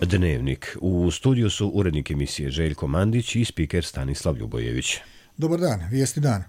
Dnevnik. U studiju su urednik emisije Željko Mandić i spiker Stanislav Ljubojević. Dobar dan, vijesti dana.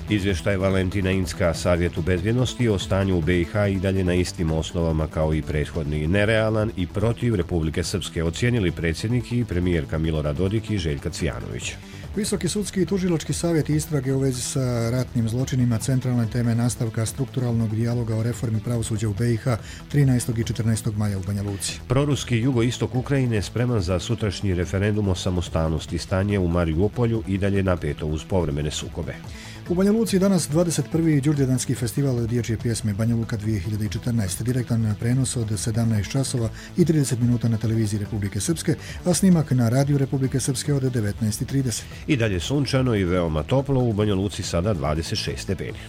Izvještaj Valentina Incka Savjetu bezbjednosti o stanju u BiH i dalje na istim osnovama kao i prethodni, nerealan i protiv Republike Srpske, ocijenili predsjednik i premijerka Milorad Dodik i Željka Cvijanović. Visoki sudski i tužilački savjet istrage u vezi sa ratnim zločinima centralne teme nastavka strukturalnog dijaloga o reformi pravosuđa u BiH 13. i 14. maja u Banja Luci. Proruski jugoistok Ukrajine spreman za sutrašnji referendum o samostalnosti. Stanje u Mariupolju i dalje napeto uz povremene sukobe. U Banja Luci danas 21. Đurđevdanski festival dječje pjesme Banja Luka 2014. Direktan prenos od 17 časova i 30 minuta na televiziji Republike Srpske, a snimak na radiju Republike Srpske od 19:30. I dalje sunčano i veoma toplo, u Banja Luci sada 26 stepeni.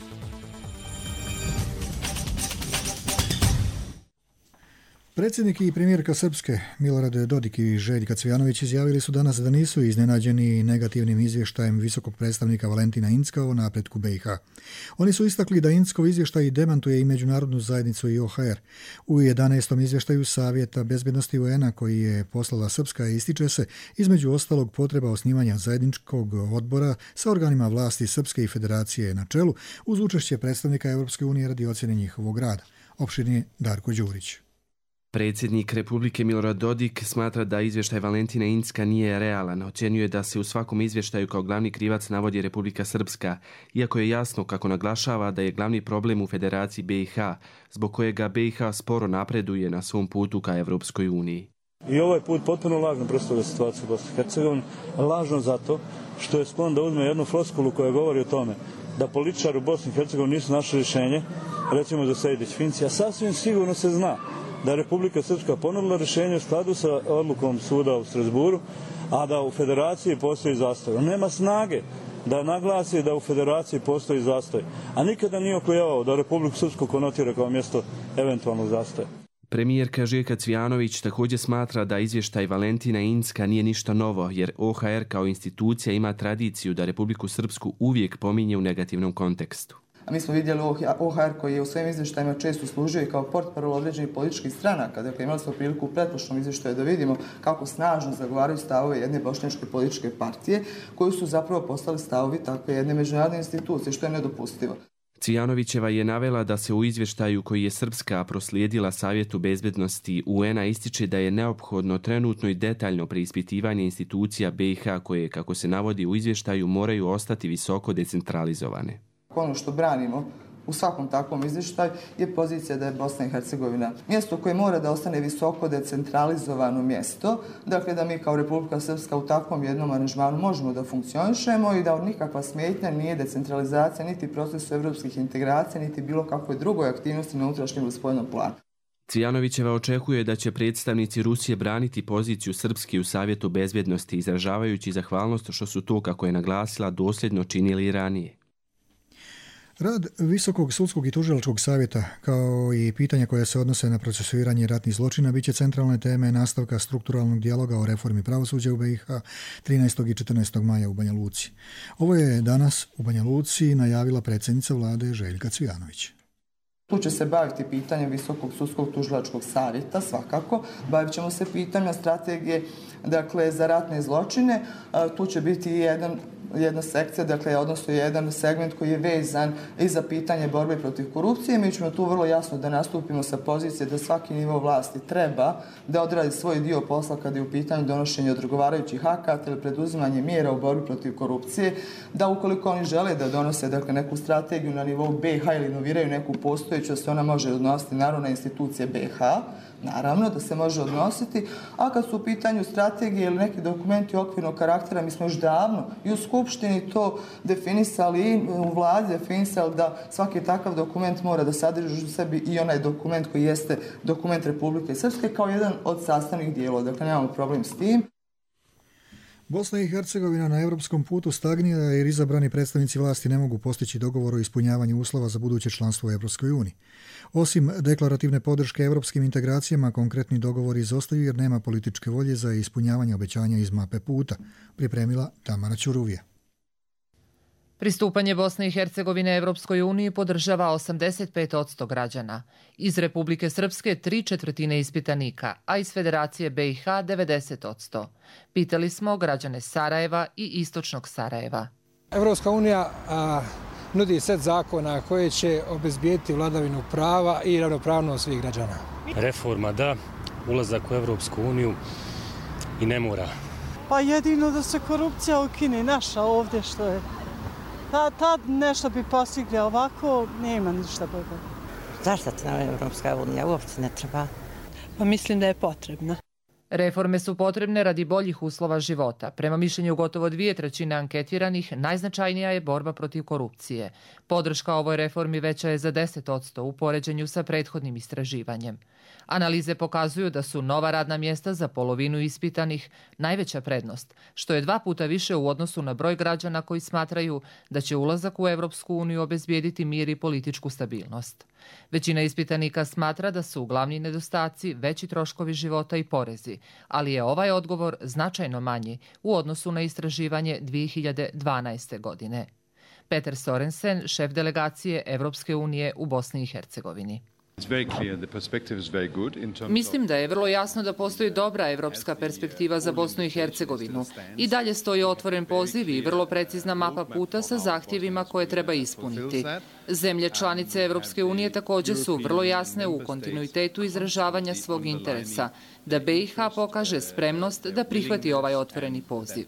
Predsjednik i premijerka Srpske Milorad Dodik i Željka Cvijanović izjavili su danas da nisu iznenađeni negativnim izvještajem visokog predstavnika Valentina Incka o napretku BiH. Oni su istakli da Inckov izvještaj demantuje i međunarodnu zajednicu i OHR. U 11. izvještaju Savjeta bezbjednosti UN-a koji je poslala Srpska ističe se između ostalog potreba osnivanja zajedničkog odbora sa organima vlasti Srpske i Federacije na čelu uz učešće predstavnika Europske unije radi ocjene njihovog rada. Opširnije Darko Đurić. Predsjednik Republike Milorad Dodik smatra da izvještaj Valentina Incka nije realan. Ocjenjuje da se u svakom izvještaju kao glavni krivac navodi Republika Srpska, iako je jasno kako naglašava da je glavni problem u Federaciji BiH, zbog kojega BiH sporo napreduje na svom putu ka Evropskoj uniji. I ovaj put potpuno lažno predstavlja situaciju u Bosni i Hercegovini, lažno zato što je sklon da uzme jednu floskulu koja govori o tome da političari u Bosni i Hercegovini nisu našli rješenje, recimo za Sejdić-Finci, a sasvim sigurno se zna da je Republika Srpska ponudila rješenje u skladu sa odlukom suda u Strasburu, a da u Federaciji postoji zastoj. On nema snage da naglasi da u Federaciji postoji zastoj, a nikada nije oklijevao da Republiku Srpsku konotira kao mjesto eventualnog zastoja. Premijerka Željka Cvijanović također smatra da izvještaj Valentina Incka nije ništa novo, jer OHR kao institucija ima tradiciju da Republiku Srpsku uvijek pominje u negativnom kontekstu. A mi smo vidjeli OHR koji je u svojim izvještajima često služio i kao portparol određenih političkih stranaka. Dakle, imali smo priliku u pretprošlom izvještaju da vidimo kako snažno zagovaraju stavove jedne bošnjačke političke partije, koji su zapravo postali stavovi takve jedne međunarodne institucije, što je nedopustivo. Cvijanovićeva je navela da se u izvještaju koji je Srpska proslijedila Savjetu bezbjednosti UN-a ističe da je neophodno trenutno i detaljno preispitivanje institucija BiH koje, kako se navodi u izvještaju, moraju ostati visoko decentralizovane. Ono što branimo u svakom takvom izvještaju je pozicija da je Bosna i Hercegovina mjesto koje mora da ostane visoko decentralizovano mjesto, dakle da mi kao Republika Srpska u takvom jednom aranžmanu možemo da funkcionišemo i da nikakva smetnja nije decentralizacija niti procesu evropskih integracija, niti bilo kakvoj drugoj aktivnosti na unutrašnjem ili spoljnom planu. Cvijanovićeva očekuje da će predstavnici Rusije braniti poziciju Srpske u Savjetu bezbjednosti, izražavajući zahvalnost što su to, kako je naglasila, dosljedno činili i ranije. Rad Visokog sudskog i tužilačkog savjeta, kao i pitanja koja se odnose na procesuiranje ratnih zločina, bit će centralne teme nastavka strukturalnog dijaloga o reformi pravosuđa u BiH 13. i 14. maja u Banja Luci. Ovo je danas u Banja Luci najavila predsjednica vlade Željka Cvijanović. Tu će se baviti pitanjem Visokog sudskog tužilačkog savjeta, svakako. Bavit ćemo se pitanjem strategije, dakle, za ratne zločine. Tu će biti jedna sekcija, dakle, odnosno jedan segment koji je vezan i za pitanje borbe protiv korupcije. Mi ćemo tu vrlo jasno da nastupimo sa pozicije da svaki nivo vlasti treba da odradi svoj dio posla kada je u pitanju donošenja odgovarajućih akata ili preduzimanje mjera u borbi protiv korupcije, da ukoliko oni žele da donose, dakle, neku strategiju na nivou BiH ili inoviraju neku postojeću, da se ona može odnositi naravno na institucije BiH, naravno da se može odnositi, a kad su u pitanju strategije ili neki dokumenti okvirnog karaktera, mi smo još davno i u Skupštini to definisali i u vladi definisali da svaki takav dokument mora da sadrži u sebi i onaj dokument koji jeste dokument Republike Srpske kao jedan od sastavnih dijelova. Dakle, nemamo problem s tim. Bosna i Hercegovina na europskom putu stagnira jer izabrani predstavnici vlasti ne mogu postići dogovor o ispunjavanju uslova za buduće članstvo u Evropskoj uniji. Osim deklarativne podrške evropskim integracijama, konkretni dogovori izostaju jer nema političke volje za ispunjavanje obećanja iz mape puta, pripremila Tamara Ćuruvija. Pristupanje Bosne i Hercegovine Evropskoj uniji podržava 85% građana. Iz Republike Srpske 3/4 ispitanika, a iz Federacije BiH 90%. Pitali smo građane Sarajeva i istočnog Sarajeva. Evropska unija nudi set zakona koje će obezbijediti vladavinu prava i ravnopravnost svih građana. Reforma da, ulazak u Evropsku uniju i ne mora. Pa jedino da se korupcija ukine, naša ovdje što je. Tad nešto bi postigli, ovako nema ništa bolje. Zašto ti nam Evropska unija uopće ne treba? Pa mislim da je potrebna. Reforme su potrebne radi boljih uslova života. Prema mišljenju gotovo 2/3 anketiranih, najznačajnija je borba protiv korupcije. Podrška ovoj reformi veća je za 10% u poređenju sa prethodnim istraživanjem. Analize pokazuju da su nova radna mjesta za polovinu ispitanih najveća prednost, što je 2 puta više u odnosu na broj građana koji smatraju da će ulazak u Evropsku uniju obezbijediti mir i političku stabilnost. Većina ispitanika smatra da su glavni nedostaci veći troškovi života i porezi, ali je ovaj odgovor značajno manji u odnosu na istraživanje 2012. godine. Peter Sorensen, šef delegacije Evropske unije u Bosni i Hercegovini. Mislim da je vrlo jasno da postoji dobra evropska perspektiva za Bosnu i Hercegovinu. I dalje stoji otvoren poziv i vrlo precizna mapa puta sa zahtjevima koje treba ispuniti. Zemlje članice Evropske unije također su vrlo jasne u kontinuitetu izražavanja svog interesa, da BiH pokaže spremnost da prihvati ovaj otvoreni poziv.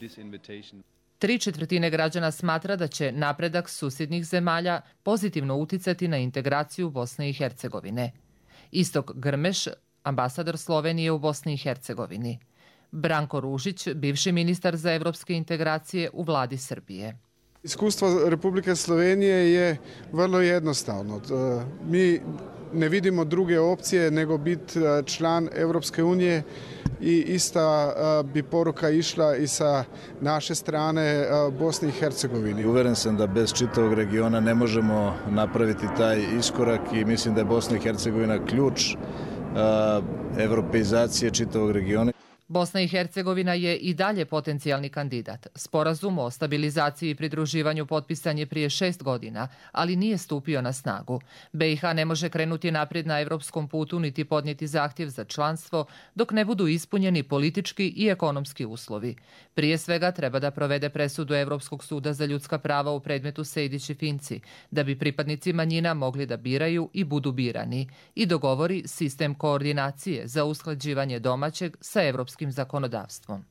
3/4 građana smatra da će napredak susjednih zemalja pozitivno uticati na integraciju Bosne i Hercegovine. Istok Grmeš, ambasador Slovenije u Bosni i Hercegovini. Branko Ružić, bivši ministar za evropske integracije u vladi Srbije. Iskustvo Republike Slovenije je vrlo jednostavno. Mi ne vidimo druge opcije nego biti član Evropske unije i ista bi poruka išla i sa naše strane Bosni i Hercegovini. Uveren sam da bez čitavog regiona ne možemo napraviti taj iskorak i mislim da je Bosna i Hercegovina ključ evropeizacije čitavog regiona. Bosna i Hercegovina je i dalje potencijalni kandidat. Sporazum o stabilizaciji i pridruživanju potpisan je prije 6 godina, ali nije stupio na snagu. BiH ne može krenuti naprijed na evropskom putu niti podnijeti zahtjev za članstvo dok ne budu ispunjeni politički i ekonomski uslovi. Prije svega treba da provede presudu Evropskog suda za ljudska prava u predmetu Sejdić i Finci, da bi pripadnici manjina mogli da biraju i budu birani, i dogovori sistem koordinacije za usklađivanje domaćeg sa evropskim zakonodavstvom.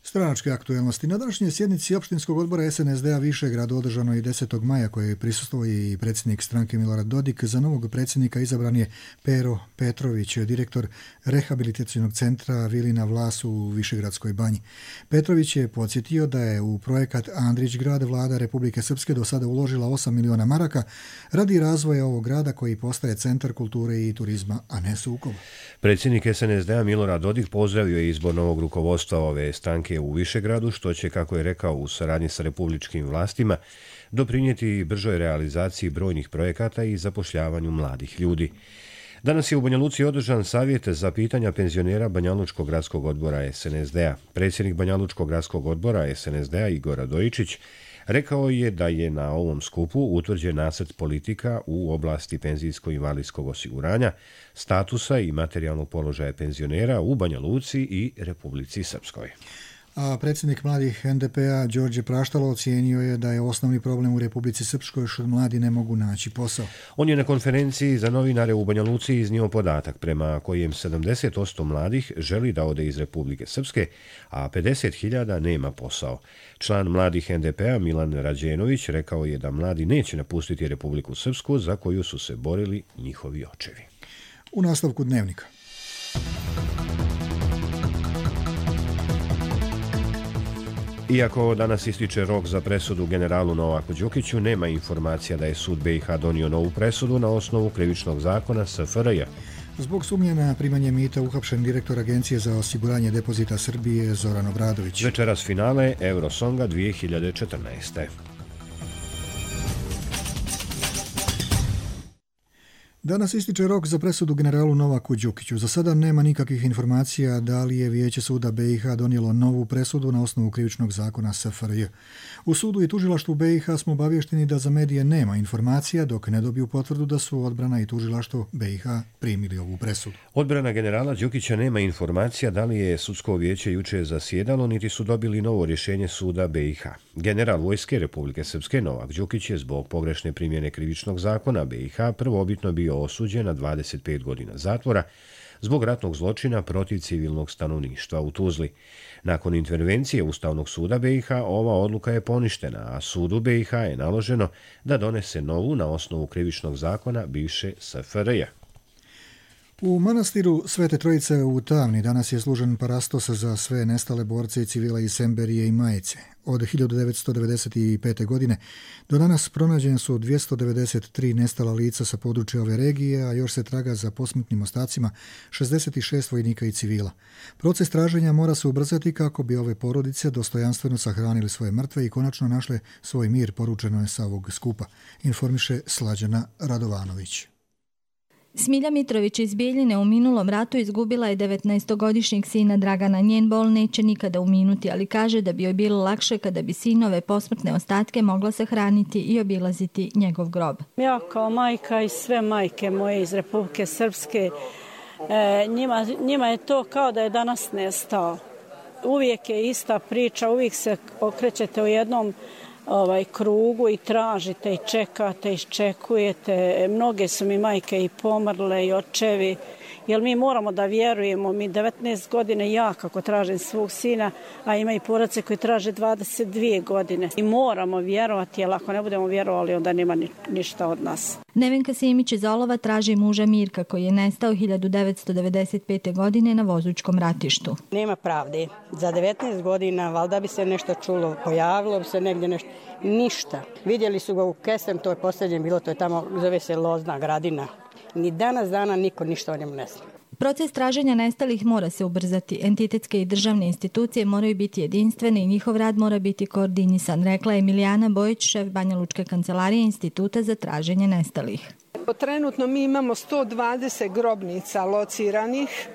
Stranačke aktuelnosti. Na današnjoj sjednici opštinskog odbora SNSD-a Višegrad održano je 10. maja koje je prisustvovao i predsjednik stranke Milorad Dodik. Za novog predsjednika izabran je Pero Petrović, direktor rehabilitacionog centra Vilina Vlas u Višegradskoj banji. Petrović je podsjetio da je u projekat Andrić grad vlada Republike Srpske do sada uložila 8 miliona maraka radi razvoja ovog grada koji postaje centar kulture i turizma, a ne sukob. Predsjednik SNSD-a Milorad Dodik pozdravio je izbor novog rukovodstva ove stranke u Višegradu, što će, kako je rekao, u saradnji sa republičkim vlastima doprinijeti bržoj realizaciji brojnih projekata i zapošljavanju mladih ljudi. Danas je u Banja Luci održan savjet za pitanja penzionera Banja Lučkog gradskog odbora SNSD-a. Predsjednik Banja Lučkog gradskog odbora SNSD-a Igor Radojičić rekao je da je na ovom skupu utvrđen nacrt politika u oblasti penzijsko-invalidskog osiguranja, statusa i materijalnog položaja penzionera u Banja Luci i Republici Srpskoj. A predsjednik mladih NDP-a Đorđe Praštalo ocijenio je da je osnovni problem u Republici Srpskoj što mladi ne mogu naći posao. On je na konferenciji za novinare u Banja Luci iznio podatak prema kojem 70% mladih želi da ode iz Republike Srpske, a 50.000 nema posao. Član mladih NDP-a Milan Rađenović rekao je da mladi neće napustiti Republiku Srpsku za koju su se borili njihovi očevi. U nastavku dnevnika. Iako danas ističe rok za presudu generalu Novaku Đukiću, nema informacija da je sud BiH donio novu presudu na osnovu krivičnog zakona SFRJ. Zbog sumnje na primanje mita uhapšen direktor Agencije za osiguranje depozita Srbije Zoran Obradović. Večeras finale Eurosonga 2014. Danas ističe rok za presudu generalu Novaku Đukiću. Za sada nema nikakvih informacija da li je Vijeće suda BiH donijelo novu presudu na osnovu krivičnog zakona SFRJ. U sudu i tužilaštvu BiH smo obavješteni da za medije nema informacija dok ne dobiju potvrdu da su odbrana i tužilaštvo BiH primili ovu presudu. Odbrana generala Đukića nema informacija da li je sudsko vijeće jučer zasjedalo niti su dobili novo rješenje suda BiH. General Vojske Republike Srpske Novak Đukić je zbog pogrešne primjene krivičnog zakona BiH prvobitno bio osuđen na 25 godina zatvora zbog ratnog zločina protiv civilnog stanovništva u Tuzli. Nakon intervencije Ustavnog suda BiH ova odluka je poništena, a sudu BiH je naloženo da donese novu na osnovu krivičnog zakona bivše SFRJ. U manastiru Svete Trojice u Tavni danas je služen parastos za sve nestale borce i civila iz Semberije i Majice. Od 1995. godine do danas pronađene su 293 nestala lica sa područja ove regije, a još se traga za posmrtnim ostacima 66 vojnika i civila. Proces traženja mora se ubrzati kako bi ove porodice dostojanstveno sahranili svoje mrtve i konačno našle svoj mir, poručeno je sa ovog skupa, informiše Slađana Radovanović. Smilja Mitrović iz Bijeljine u minulom ratu izgubila je 19-godišnjeg sina Dragana. Njen bol neće nikada uminuti, ali kaže da bi joj bilo lakše kada bi sinove posmrtne ostatke mogla sahraniti i obilaziti njegov grob. Ja kao majka i sve majke moje iz Republike Srpske, njima je to kao da je danas nestao. Uvijek je ista priča, uvijek se okrećete u jednom krugu i tražite i čekate, iščekujete. Mnoge su mi majke i pomrle i očevi, jer mi moramo da vjerujemo. Mi 19 godine ja kako tražim svog sina, a ima i porodice koji traže 22 godine. I moramo vjerovati, jer ako ne budemo vjerovali, onda nema ništa od nas. Nevenka Simić iz Olova traži muža Mirka koji je nestao 1995. godine na Vozučkom ratištu. Nema pravde. Za 19 godina valjda bi se nešto čulo, pojavilo bi se negdje nešto. Ništa. Vidjeli su ga u Kesem, to je posljednje bilo, to je tamo, zove se Lozna Gradina. Ni danas dana niko ništa o njemu ne zna. Proces traženja nestalih mora se ubrzati. Entitetske i državne institucije moraju biti jedinstvene i njihov rad mora biti koordinisan, rekla je Emilijana Bojić, šef Banja Lučke kancelarije Instituta za traženje nestalih. Trenutno mi imamo 120 grobnica lociranih.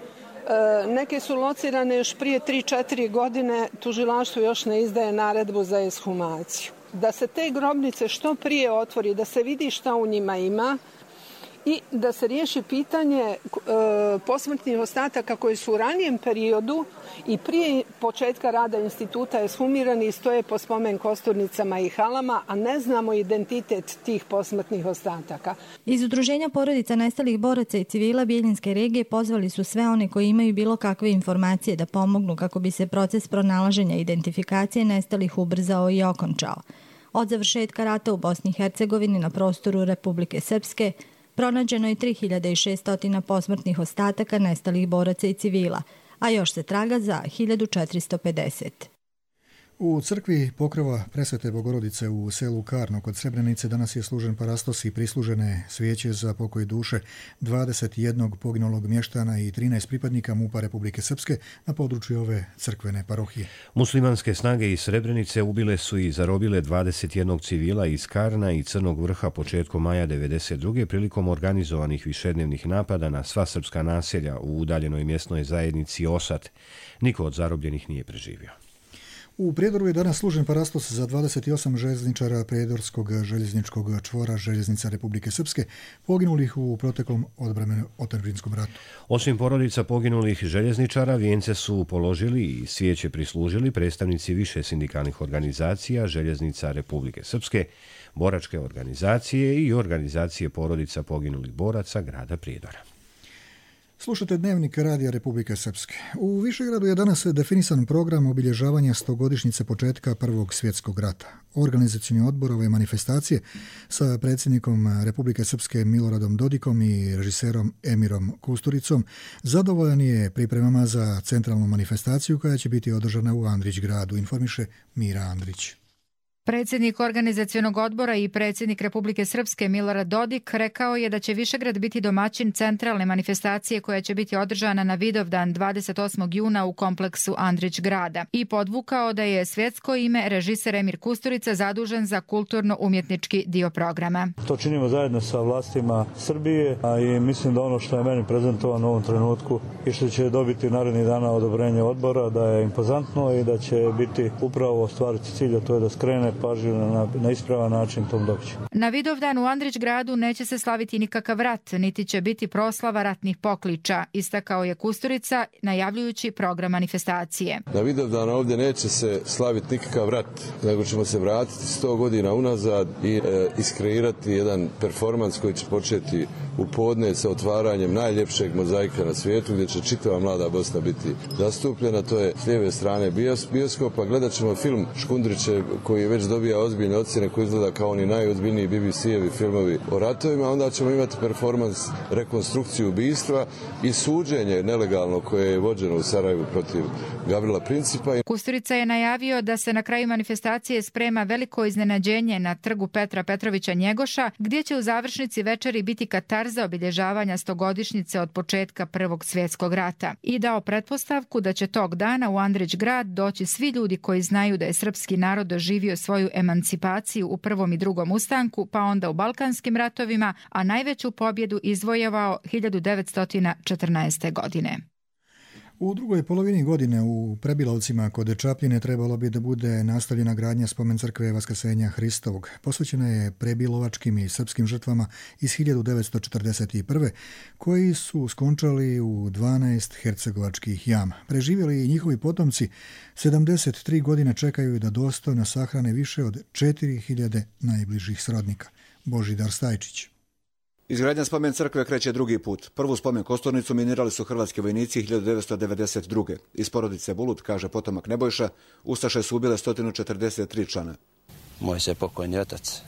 Neke su locirane još prije 3-4 godine, tužilaštvo još ne izdaje naredbu za ekshumaciju. Da se te grobnice što prije otvori, da se vidi šta u njima ima, i da se riješi pitanje posmrtnih ostataka koji su u ranijem periodu i prije početka rada instituta ekshumirani i stoje po spomen kosturnicama i halama, a ne znamo identitet tih posmrtnih ostataka. Iz Udruženja porodica nestalih boraca i civila Bijeljinske regije pozvali su sve one koji imaju bilo kakve informacije da pomognu kako bi se proces pronalaženja i identifikacije nestalih ubrzao i okončao. Od završetka rata u Bosni i Hercegovini na prostoru Republike Srpske pronađeno je 3600 posmrtnih ostataka nestalih boraca i civila, a još se traga za 1450. U crkvi Pokrova Presvete Bogorodice u selu Karno kod Srebrenice danas je služen parastos i prislužene svijeće za pokoj duše 21 poginulog mještana i 13 pripadnika MUP-a Republike Srpske na području ove crkvene parohije. Muslimanske snage iz Srebrenice ubile su i zarobile 21 civila iz Karna i Crnog Vrha početkom maja 1992. prilikom organizovanih višednevnih napada na sva srpska naselja u udaljenoj mjesnoj zajednici Osat. Niko od zarobljenih nije preživio. U Prijedoru je danas služen parastos za 28 željezničara Prijedorskog željezničkog čvora Željeznica Republike Srpske poginulih u proteklom otadžbinskom ratu. Osim porodica poginulih željezničara, vijence su položili i svijeće prislužili predstavnici više sindikalnih organizacija Željeznica Republike Srpske, boračke organizacije i organizacije porodica poginulih boraca grada Prijedora. Slušate Dnevnik Radija Republike Srpske. U Višegradu je danas definisan program obilježavanja 100-godišnjice početka Prvog svjetskog rata. Organizacioni odbor ove manifestacije sa predsjednikom Republike Srpske Miloradom Dodikom i režiserom Emirom Kusturicom zadovoljan je pripremama za centralnu manifestaciju koja će biti održana u Andrić gradu, informiše Mira Andrić. Predsjednik organizacionog odbora i predsjednik Republike Srpske Milorad Dodik rekao je da će Višegrad biti domaćin centralne manifestacije koja će biti održana na Vidovdan 28. juna u kompleksu Andrić grada i podvukao da je svjetsko ime režiser Emir Kusturica zadužen za kulturno-umjetnički dio programa. To činimo zajedno sa vlastima Srbije, a i mislim da ono što je meni prezentovano u ovom trenutku i što će dobiti narednih dana odobrenje odbora da je impozantno i da će biti upravo ostvariti cilj, a to je da skrene pažnju na ispravan način tom događaju. Na Vidovdan u Andrić gradu neće se slaviti nikakav rat, niti će biti proslava ratnih pokliča, istakao je Kusturica najavljujući program manifestacije. Na Vidovdan ovdje neće se slaviti nikakav rat, nego ćemo se vratiti 100 godina unazad i iskreirati jedan performans koji će početi u podne sa otvaranjem najljepšeg mozaika na svijetu gdje će čitava mlada Bosna biti zastupljena. To je s lijeve strane bioskopa. Gledat ćemo film Škundriće koji već dobija ozbiljne ocjene, koji izgleda kao oni najozbiljniji BBC-evi filmovi o ratovima. Onda ćemo imati performans, rekonstrukciju ubistva i suđenje nelegalno koje je vođeno u Sarajevu protiv Gavrila Principa. Kusturica je najavio da se na kraju manifestacije sprema veliko iznenađenje na trgu Petra Petrovića Njegoša, gdje će u završnici večeri biti katarza obilježavanja 100-godišnjice od početka Prvog svjetskog rata i dao pretpostavku da će tog dana u Andrić grad doći svi ljudi koji znaju da je srpski narod doživio svoju emancipaciju u Prvom i Drugom ustanku, pa onda u Balkanskim ratovima, a najveću pobjedu izvojevao 1914. godine. U drugoj polovini godine u Prebilovcima kod Čapljine trebalo bi da bude nastavljena gradnja spomen crkve Vaskrsenja Hristovog. Posvećena je prebilovačkim i srpskim žrtvama iz 1941. koji su skončali u 12 hercegovačkih jama. Preživjeli i njihovi potomci 73 godine čekaju da dostojno sahrane više od 4000 najbližih srodnika. Božidar Stajčić. Izgradnja spomen crkve kreće drugi put. Prvu spomen kosturnicu minirali su hrvatski vojnici 1992. Iz porodice Bulut, kaže potomak Nebojša, ustaše su ubile 143 člana. Moj se pokojni otac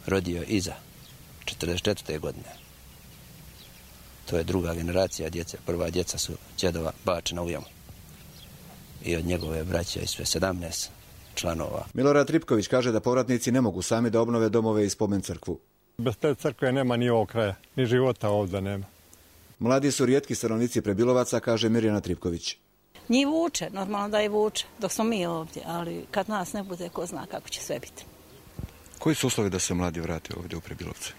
rodio iza 44. godine. To je druga generacija djece. Prva djeca su djedova bačena u jamu. I od njegove braće i sve 17 članova. Milorad Tripković kaže da povratnici ne mogu sami da obnove domove i spomen crkvu. Bez te crkve nema ni ovog kraja, ni života ovdje nema. Mladi su rijetki stanovnici Prebilovaca, kaže Mirjana Tripković. Njih vuče, normalno da je vuče, dok smo mi ovdje, ali kad nas ne bude, ko zna kako će sve biti. Koji su uslovi da se mladi vrate ovdje u Prebilovce?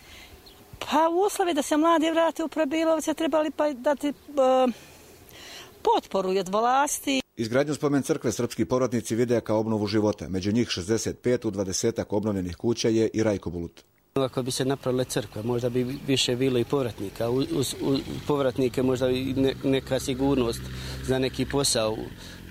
Pa uslovi da se mladi vrate u Prebilovce trebali pa dati potporu od vlasti. Izgradnju spomen crkve srpski povratnici vide kao obnovu života. Među njih 65 u 20-ak obnovljenih kuća je i Rajko Bulut. Ako bi se napravile crkve, možda bi više bilo i povratnika. Uz povratnike možda i neka sigurnost za neki posao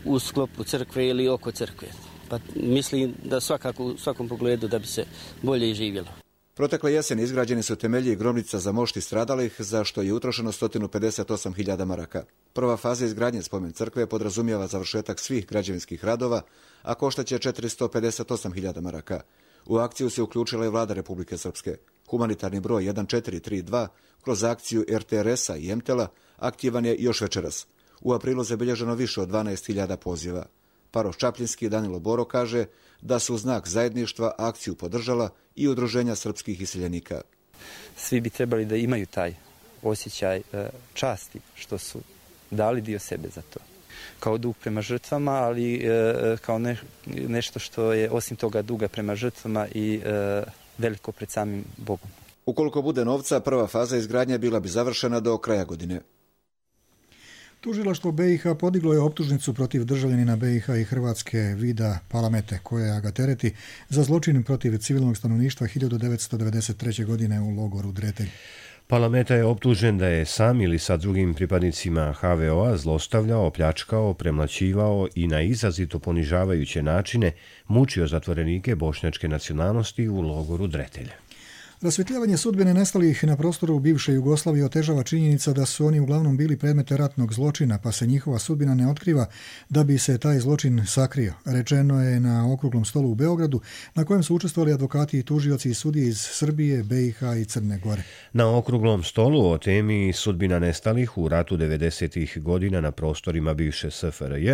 u sklopu crkve ili oko crkve. Pa mislim da svakako u svakom pogledu da bi se bolje i živjelo. Protekle jeseni izgrađeni su temelji i grobnica za mošti stradalih, za što je utrošeno 158.000 maraka. Prva faza izgradnje spomen crkve podrazumijeva završetak svih građevinskih radova, a koštaće 458.000 maraka. U akciju se uključila i vlada Republike Srpske. Humanitarni broj 1432 kroz akciju RTRS-a i MTEL-a aktivan je još večeras. U aprilu zabilježeno više od 12.000 poziva. Paroh Čapljinski Danilo Boro kaže da su u znak zajedništva akciju podržala i udruženja srpskih iseljenika. Svi bi trebali da imaju taj osjećaj časti što su dali dio sebe za to. Kao dug prema žrtvama, ali kao nešto što je osim toga duga prema žrtvama i veliko pred samim Bogom. Ukoliko bude novca, prva faza izgradnje bila bi završena do kraja godine. Tužilaštvo BiH podiglo je optužnicu protiv državljanina BiH i Hrvatske Vida Palamete, koja ga tereti za zločin protiv civilnog stanovništva 1993. godine u logoru Dretelj. Palameta je optužen da je sam ili sa drugim pripadnicima HVO-a zlostavljao, pljačkao, premlaćivao i na izrazito ponižavajuće načine mučio zatvorenike bošnjačke nacionalnosti u logoru Dretelj. Rasvjetljavanje sudbine nestalih na prostoru bivše Jugoslavije otežava činjenica da su oni uglavnom bili predmete ratnog zločina, pa se njihova sudbina ne otkriva da bi se taj zločin sakrio. Rečeno je na okruglom stolu u Beogradu, na kojem su učestvovali advokati i tužioci i sudije iz Srbije, BiH i Crne Gore. Na okruglom stolu o temi sudbina nestalih u ratu 90. godina na prostorima bivše SFRJ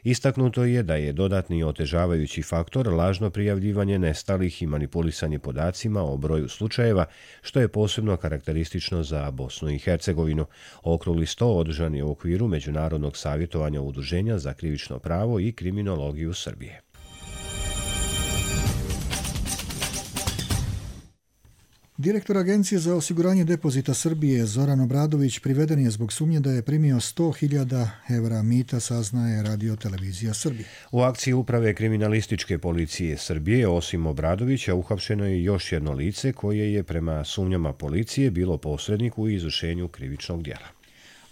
istaknuto je da je dodatni otežavajući faktor lažno prijavljivanje nestalih i manipulisanje podacima o broju slučajeva, što je posebno karakteristično za Bosnu i Hercegovinu. Okrugli sto održan je u okviru Međunarodnog savjetovanja Udruženja za krivično pravo i kriminologiju Srbije. Direktor Agencije za osiguranje depozita Srbije Zoran Obradović priveden je zbog sumnje da je primio 100.000 evra mita, saznaje Radio Televizija Srbije. U akciji Uprave kriminalističke policije Srbije, osim Obradovića, uhapšeno je još jedno lice koje je prema sumnjama policije bilo posrednik u izvršenju krivičnog djela.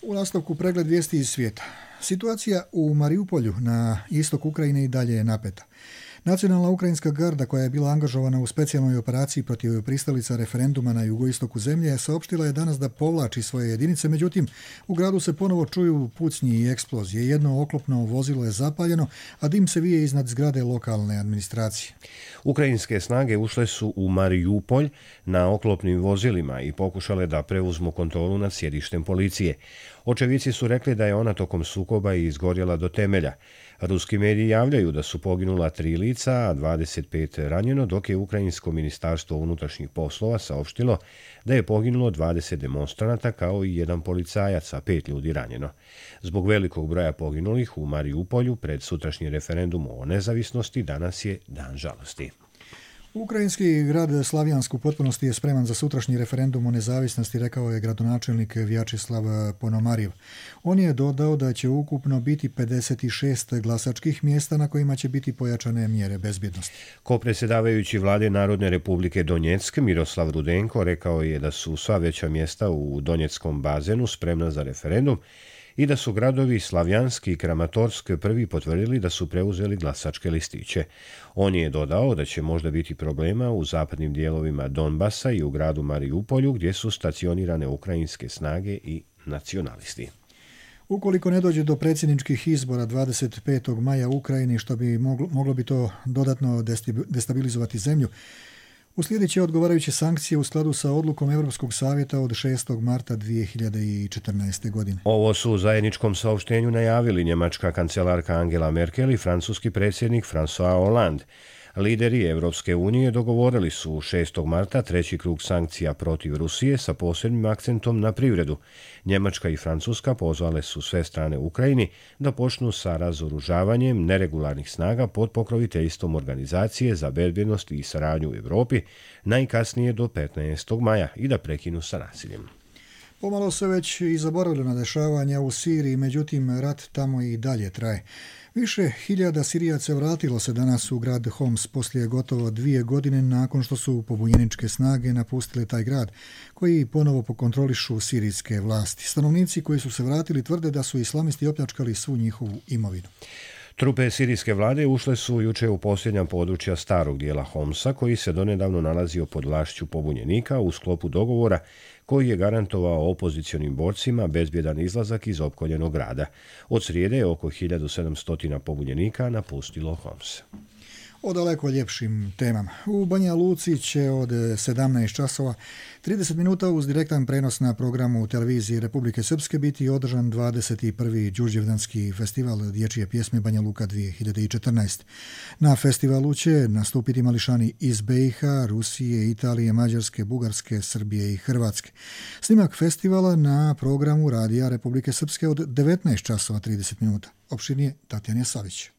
U nastavku pregled vijesti iz svijeta. Situacija u Mariupolju na istok Ukrajine i dalje je napeta. Nacionalna ukrajinska garda koja je bila angažovana u specijalnoj operaciji protiv pristalica referenduma na jugoistoku zemlje saopštila je danas da povlači svoje jedinice, međutim u gradu se ponovo čuju pucnji i eksplozije. Jedno oklopno vozilo je zapaljeno, a dim se vije iznad zgrade lokalne administracije. Ukrajinske snage ušle su u Mariupolj na oklopnim vozilima i pokušale da preuzmu kontrolu nad sjedištem policije. Očevici su rekli da je ona tokom sukoba izgorjela do temelja. Ruski mediji javljaju da su poginula 3 lica, a 25 ranjeno, dok je Ukrajinsko ministarstvo unutrašnjih poslova saopštilo da je poginulo 20 demonstranata kao i 1 policajac, a 5 ljudi ranjeno. Zbog velikog broja poginulih u Mariupolju pred sutrašnji referendum o nezavisnosti danas je dan žalosti. Ukrajinski grad Slavjansk u potpunosti je spreman za sutrašnji referendum o nezavisnosti, rekao je gradonačelnik Vjačeslav Ponomarjev. On je dodao da će ukupno biti 56 glasačkih mjesta na kojima će biti pojačane mjere bezbjednosti. Kopredsjedavajući vlade Narodne republike Donjeck Miroslav Rudenko rekao je da su sva veća mjesta u Donjeckom bazenu spremna za referendum i da su gradovi Slavjansk i Kramatorsk prvi potvrdili da su preuzeli glasačke listiće. On je dodao da će možda biti problema u zapadnim dijelovima Donbasa i u gradu Mariupolju gdje su stacionirane ukrajinske snage i nacionalisti. Ukoliko ne dođe do predsjedničkih izbora 25. maja u Ukrajini, što bi moglo bi to dodatno destabilizovati zemlju, uslijedit će odgovarajuće sankcije u skladu sa odlukom Europskog savjeta od 6. marta 2014. godine. Ovo su u zajedničkom saopštenju najavili njemačka kancelarka Angela Merkel i francuski predsjednik François Hollande. Lideri Europske unije dogovorili su 6. marta treći krug sankcija protiv Rusije sa posebnim akcentom na privredu. Njemačka i Francuska pozvale su sve strane Ukrajini da počnu sa razoružavanjem neregularnih snaga pod pokroviteljstvom Organizacije za bezbjednost i saradnju u Europi najkasnije do 15. maja i da prekinu sa nasiljem. Pomalo se već i zaboravilo na dešavanja u Siriji, međutim rat tamo i dalje traje. Više hiljada Sirijaca vratilo se danas u grad Homs poslije gotovo 2 godine nakon što su pobunjeničke snage napustile taj grad, koji ponovo pokontrolišu sirijske vlasti. Stanovnici koji su se vratili tvrde da su islamisti opljačkali svu njihovu imovinu. Trupe sirijske vlade ušle su juče u posljednja područja starog dijela Homsa, koji se donedavno nalazio pod vlašću pobunjenika u sklopu dogovora koji je garantovao opozicionim borcima bezbjedan izlazak iz opkoljenog grada. Od srijede je oko 1700 pobunjenika napustilo Homs. O daleko ljepšim temama. U Banja Luci će od 17 časova 30 minuta uz direktan prenos na programu televizije Republike Srpske biti održan 21. Đurđevdanski festival dječje pjesme Banja Luka 2014. Na festivalu će nastupiti mališani iz BiH, Rusije, Italije, Mađarske, Bugarske, Srbije i Hrvatske. Snimak festivala na programu Radija Republike Srpske od 19 časova 30 minuta. Opširnije Tatjana Savić.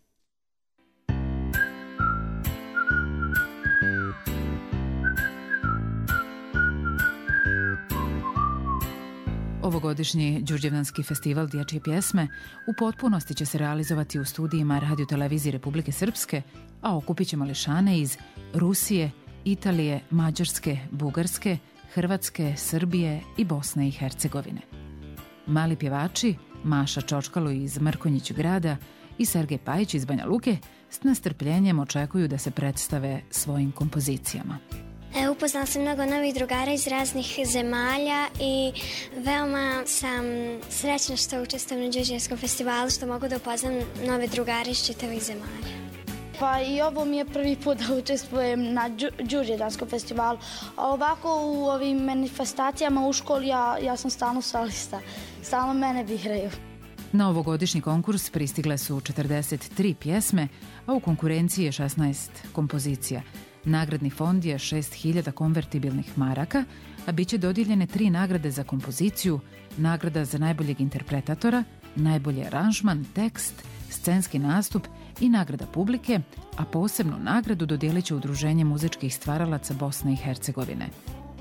Ovogodišnji Đurđevdanski festival dječje pjesme u potpunosti će se realizovati u studijima Radio Televizije Republike Srpske, a okupit će mališane iz Rusije, Italije, Mađarske, Bugarske, Hrvatske, Srbije i Bosne i Hercegovine. Mali pjevači Maša Čočkalo iz Mrkonjić grada i Sergej Pajić iz Banja Luke s nestrpljenjem očekuju da se predstave svojim kompozicijama. U Upoznala sam mnogo novih drugara iz raznih zemalja i veoma sam srećna što učestvujem na Đurđevanskom festivalu, što mogu da upoznam nove drugare iz čitavih zemalja. Pa i ovo mi je prvi put da učestvujem na Đurđevanskom festivalu. A ovako u ovim manifestacijama u školi ja sam stalno solista. Stalno mene biraju. Na ovogodišnji konkurs pristigle su 43 pjesme, a u konkurenciji je 16 kompozicija. Nagradni fond je 6.000 konvertibilnih maraka, a bit će dodijeljene 3 nagrade za kompoziciju, nagrada za najboljeg interpretatora, najbolji aranžman, tekst, scenski nastup i nagrada publike, a posebnu nagradu dodijelit će Udruženje muzičkih stvaralaca Bosne i Hercegovine.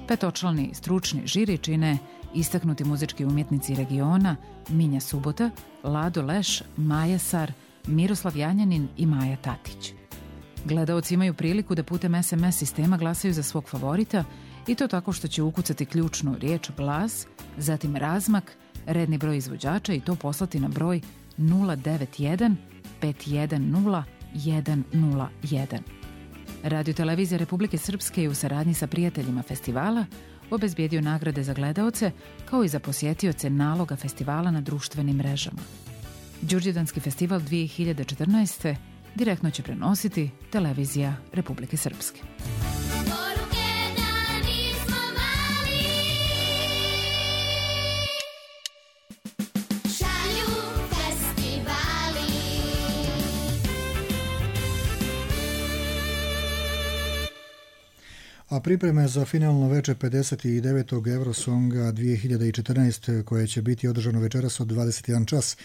Petočlani stručni žiri čine istaknuti muzički umjetnici regiona Minja Subota, Lado Leš, Maja Sar, Miroslav Janjanin i Maja Tatić. Gledaoci imaju priliku da putem SMS sistema glasaju za svog favorita i to tako što će ukucati ključnu riječ glas, zatim razmak, redni broj izvođača i to poslati na broj 091 510 101. Radio-televizija Republike Srpske je u saradnji sa prijateljima festivala obezbijedio nagrade za gledaoce kao i za posjetioce naloga festivala na društvenim mrežama. Đurđevdanski festival 2014. direktno će prenositi televizija Republike Srpske. A pripreme za finalno veče 59. Eurosonga 2014. koje će biti održano večeras od 21 čas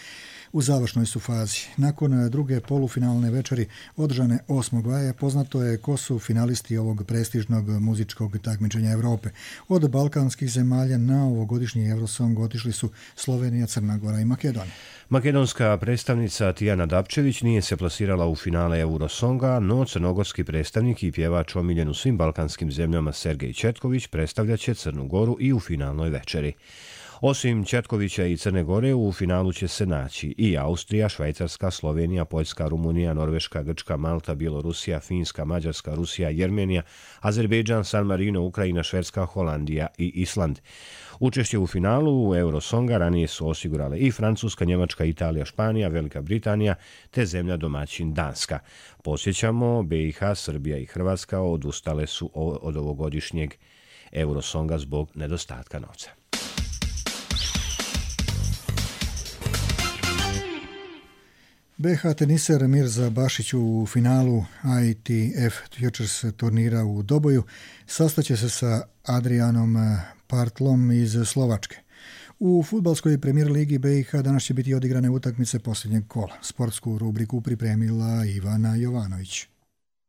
u završnoj su fazi. Nakon druge polufinalne večeri održane 8. maja poznato je ko su finalisti ovog prestižnog muzičkog takmičenja Europe. Od balkanskih zemalja na ovogodišnji Eurosong otišli su Slovenija, Crna Gora i Makedonija. Makedonska predstavnica Tijana Dapčević nije se plasirala u finale Eurosonga, no crnogorski predstavnik i pjevač omiljen u svim balkanskim zemljama Sergej Četković predstavljaće Crnu Goru i u finalnoj večeri. Osim Četkovića i Crne Gore, u finalu će se naći i Austrija, Švajcarska, Slovenija, Poljska, Rumunija, Norveška, Grčka, Malta, Bjelorusija, Finska, Mađarska, Rusija, Jermenija, Azerbejdžan, San Marino, Ukrajina, Švedska, Holandija i Island. Učešće u finalu Eurosonga ranije su osigurale i Francuska, Njemačka, Italija, Španija, Velika Britanija te zemlja domaćin Danska. Podsjećamo, BiH, Srbija i Hrvatska odustale su od ovogodišnjeg Eurosonga zbog nedostatka novca. BiH teniser Mirza Bašić u finalu ITF Futures turnira u Doboju sastaće se sa Adrianom Partlom iz Slovačke. U fudbalskoj premijer ligi BiH danas će biti odigrane utakmice posljednjeg kola. Sportsku rubriku pripremila Ivana Jovanović.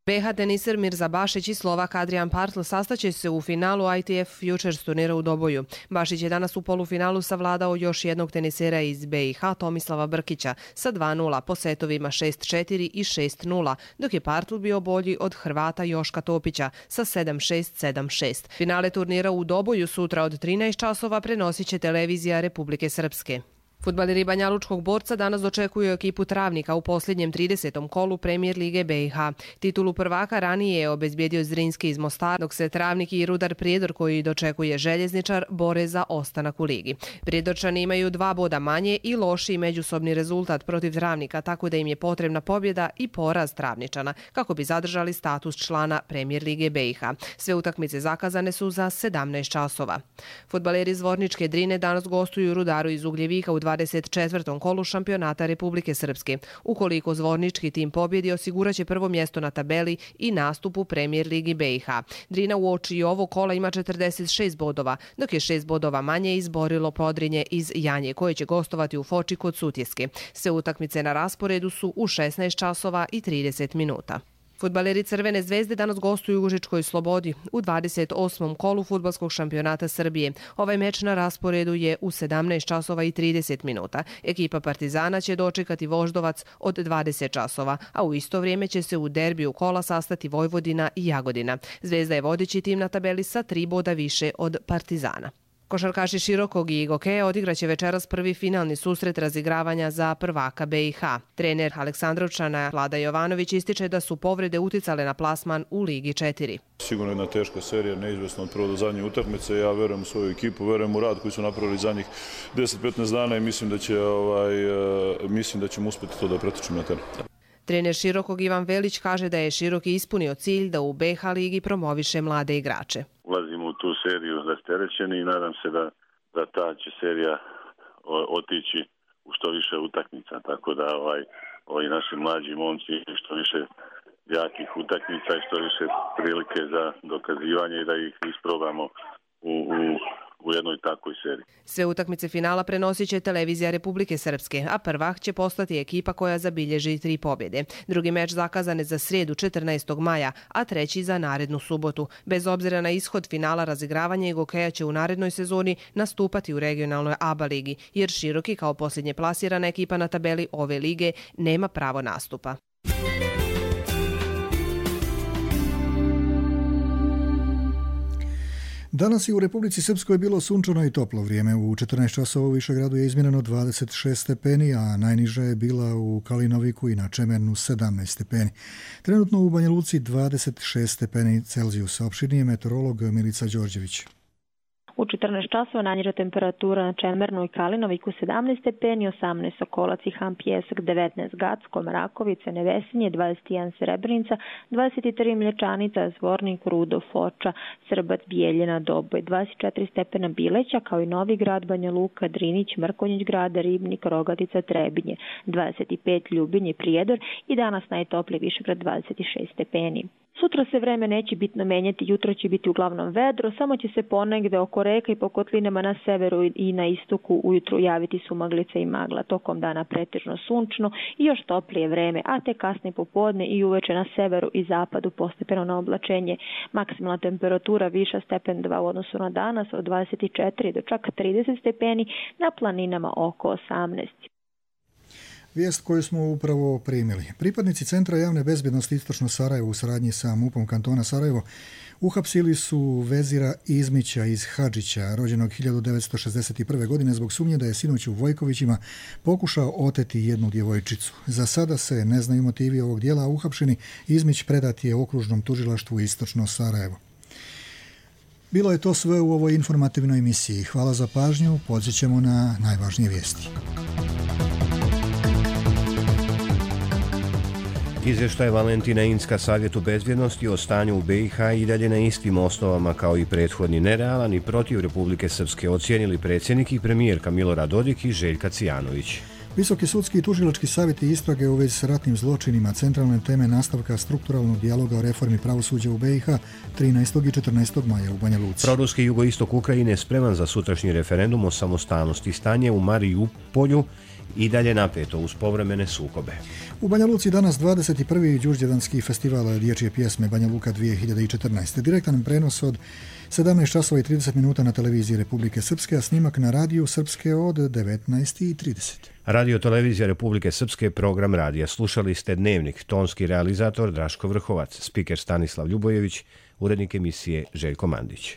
BiH teniser Mirza Bašić i Slovak Adrian Partl sastaće se u finalu ITF Futures turnira u Doboju. Bašić je danas u polufinalu savladao još jednog tenisera iz BiH, Tomislava Brkića, sa 2-0 po setovima 6-4 i 6-0, dok je Partl bio bolji od Hrvata Joška Topića sa 7-6, 7-6. Finale turnira u Doboju sutra od 13 časova prenosit će televizija Republike Srpske. Fudbaleri Banjalučkog Borca danas dočekuju ekipu Travnika u posljednjem 30. kolu Premijer lige BiH. Titulu prvaka ranije je obezbijedio Zrinski iz Mostara, dok se Travnik i Rudar Prijedor, koji dočekuje Željezničar, bore za ostanak u ligi. Prijedorčani imaju 2 boda manje i lošiji međusobni rezultat protiv Travnika, tako da im je potrebna pobjeda i poraz Travničana, kako bi zadržali status člana Premijer lige BiH. Sve utakmice zakazane su za 17 časova. Fudbaleri Zvorničke Drine danas gostuju Rudaru iz Ugljevika u 24. kolu šampionata Republike Srpske. Ukoliko Zvornički tim pobjedi, osiguraće prvo mjesto na tabeli i nastup u Premijer ligi BiH. Drina uoči ovo kola ima 46 bodova, dok je 6 bodova manje izborilo Podrinje iz Janje, koje će gostovati u Foči kod Sutjeske. Sve utakmice na rasporedu su u 16 časova i 30 minuta. Fudbaleri Crvene zvezde danas gostuju u Užičkoj Slobodi u 28. kolu fudbalskog šampionata Srbije. Ovaj meč na rasporedu je u 17 časova i 30 minuta. Ekipa Partizana će dočekati Voždovac od 20 časova, a u isto vrijeme će se u derbiju kola sastati Vojvodina i Jagodina. Zvezda je vodeći tim na tabeli sa 3 boda više od Partizana. Košarkaši Širokog i Gokeja odigraće večeras prvi finalni susret razigravanja za prvaka BiH. Trener Aleksandrovčana Vlada Jovanović ističe da su povrede uticale na plasman u Ligi 4. Sigurno jedna teška serija, neizvjesno od prvo do zadnje utakmice. Ja verujem u svoju ekipu, verujem u rad koji su napravili zadnjih 10-15 dana i mislim da ćemo uspjeti to da pretočimo na teren. Trener Širokog Ivan Velić kaže da je Široki ispunio cilj da u BiH ligi promoviše mlade igrače. Ulazimo u tu seriju rasterećeni i nadam se da ta će serija otići u što više utakmica. Tako da ovi naši mlađi momci što više jakih utakmica i što više prilike za dokazivanje i da ih isprobamo u jednoj takvoj seriji. Sve utakmice finala prenosit će televizija Republike Srpske, a prvak će postati ekipa koja zabilježi 3 pobjede. Drugi meč zakazan je za srijedu 14. maja, a treći za narednu subotu. Bez obzira na ishod finala razigravanja i Gokeja će u narednoj sezoni nastupati u regionalnoj ABA ligi, jer Široki kao posljednje plasirana ekipa na tabeli ove lige nema pravo nastupa. Danas je u Republici Srpskoj bilo sunčano i toplo vrijeme. U 14 časova u Višegradu je izmjereno 26 stepeni, a najniža je bila u Kalinoviku i na Čemernu 17 stepeni. Trenutno u Banja Luci 26 stepeni Celzijusa. Opširniji je meteorolog Milica Đorđević. U 14 časova najniža temperatura na Čemernu i Kalinoviku 17 stepeni, 18 Sokolac i Han Pjesak, 19 Gacko, Mrakovice, Nevesinje, 21 Srebrenica, 23 Mlječanica, Zvornik, Rudo, Foča, Srbac, Bijeljina, Doboj, 24 stepena Bileća, kao i Novi Grad, Banja Luka, Drinić, Mrkonjić Grada, Ribnik, Rogatica, Trebinje, 25 Ljubinje, Prijedor i danas najtopliji Višegrad 26 stepeni. Sutra se vreme neće bitno menjati, jutro će biti uglavnom vedro, samo će se ponegde oko reka i po kotlinama na severu i na istoku ujutru javiti sumaglica i magla. Tokom dana pretežno sunčno i još toplije vreme, a te kasne popodne i uveče na severu i zapadu postepeno na oblačenje. Maksimalna temperatura viša stepen 2 u odnosu na danas od 24 do čak 30 stepeni, na planinama oko 18. Vijest koju smo upravo primili. Pripadnici Centra javne bezbjednosti Istočno Sarajevo u saradnji sa MUP-om kantona Sarajevo uhapsili su Vezira Izmića iz Hadžića, rođenog 1961. godine, zbog sumnje da je sinoć u Vojkovićima pokušao oteti jednu djevojčicu. Za sada se ne znaju motivi ovog dijela, a uhapšeni Izmić predat je okružnom tužilaštvu Istočno Sarajevo. Bilo je to sve u ovoj informativnoj emisiji. Hvala za pažnju, podsjećamo na najvažnije vijesti. Izvještaj Valentina Incka Savjetu bezbjednosti o stanju u BiH i dalje na istim osnovama kao i prethodni, nerealan i protiv Republike Srpske, ocijenili predsjednik i premijerka Milorad Dodik i Željka Cijanović. Visoki sudski i tužilački savjeti istrage u vezi s ratnim zločinima, centralne teme nastavka strukturalnog dijaloga o reformi pravosuđa u BiH 13. i 14. maja u Banja Luci. Proruski jugoistok Ukrajine je spreman za sutrašnji referendum o samostalnosti. Stanje u Marijupolju i dalje napeto uz povremene sukobe. U Banja Luci danas 21. Đurđevdanski festival dječje pjesme Banja Luka 2014. Direktan prenos od 17 časova i 30 minuta na televiziji Republike Srpske, a snimak na radiju Srpske od 19:30. Radio televizija Republike Srpske, program radija. Slušali ste Dnevnik, tonski realizator Draško Vrhovac, spiker Stanislav Ljubojević, urednik emisije Željko Mandić.